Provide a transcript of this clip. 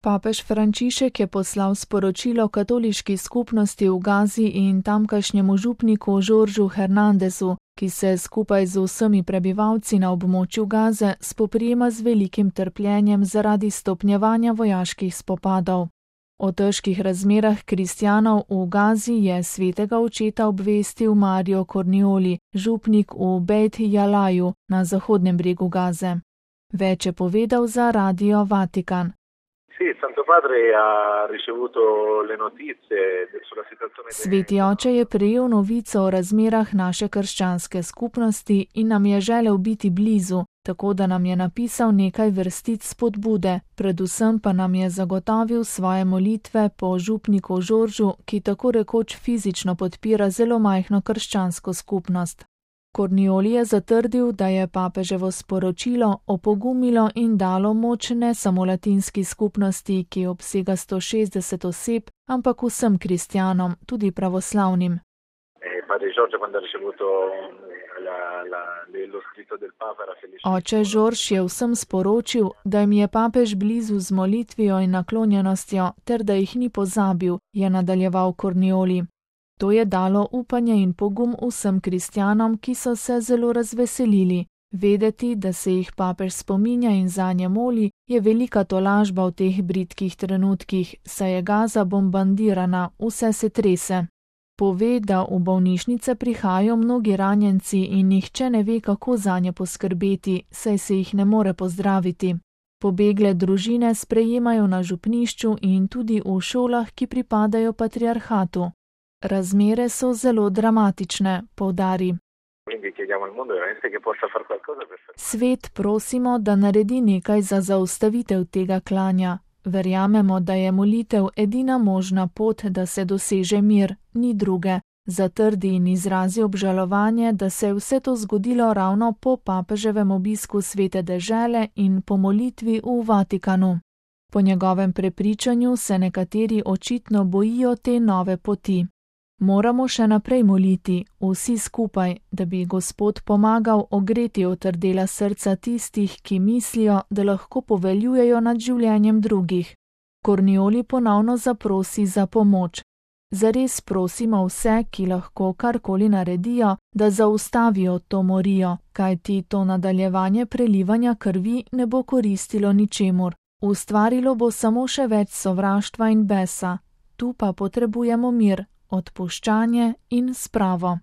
Papež Frančišek je poslal sporočilo katoliški skupnosti v Gazi in tamkajšnjemu župniku Jorgeu Hernandezu, ki se skupaj z vsemi prebivalci na območju Gaze spoprijema z velikim trpljenjem zaradi stopnjevanja vojaških spopadov. O težkih razmerah kristjanov v Gazi je svetega očeta obvestil Mario Cornioli, župnik v Beit Jalaju na zahodnem bregu Gaze. Več je povedal za Radio Vatikan. Sveti oče je prejel novico o razmerah naše krščanske skupnosti in nam je želel biti blizu, tako da nam je napisal nekaj vrstic spodbude, predvsem pa nam je zagotovil svoje molitve po župniku Jorgeu, ki tako rekoč fizično podpira zelo majhno krščansko skupnost. Cornioli je zatrdil, da je papeževo sporočilo opogumilo in dalo moč ne samo latinski skupnosti, ki obsega 160 oseb, ampak vsem kristjanom, tudi pravoslavnim. Oče Žorž je vsem sporočil, da jim je papež blizu z molitvijo in naklonjenostjo, ter da jih ni pozabil, je nadaljeval Cornioli. To je dalo upanje in pogum vsem kristjanom, ki so se zelo razveselili. Vedeti, da se jih papež spominja in zanje moli, je velika tolažba v teh bridkih trenutkih, saj je Gaza bombardirana, vse se trese. Pove, da v bolnišnice prihajajo mnogi ranjenci in nihče ne ve, kako zanje poskrbeti, saj se jih ne more pozdraviti. Pobegle družine sprejemajo na župnišču in tudi v šolah, ki pripadajo patriarhatu. Razmere so zelo dramatične, poudari. Svet prosimo, da naredi nekaj za zaustavitev tega klanja. Verjamemo, da je molitev edina možna pot, da se doseže mir, ni druge. Zatrdi in izrazi obžalovanje, da se je vse to zgodilo ravno po papeževem obisku Svete dežele in po molitvi v Vatikanu. Po njegovem prepričanju se nekateri očitno bojijo te nove poti. Moramo še naprej moliti, vsi skupaj, da bi Gospod pomagal ogreti otrdela srca tistih, ki mislijo, da lahko poveljujejo nad življenjem drugih. Cornioli ponovno zaprosi za pomoč. Zares prosimo vse, ki lahko karkoli naredijo, da zaustavijo to morijo, kajti to nadaljevanje prelivanja krvi ne bo koristilo ničemur. Ustvarilo bo samo še več sovraštva in besa. Tu pa potrebujemo mir, odpuščanje in spravo.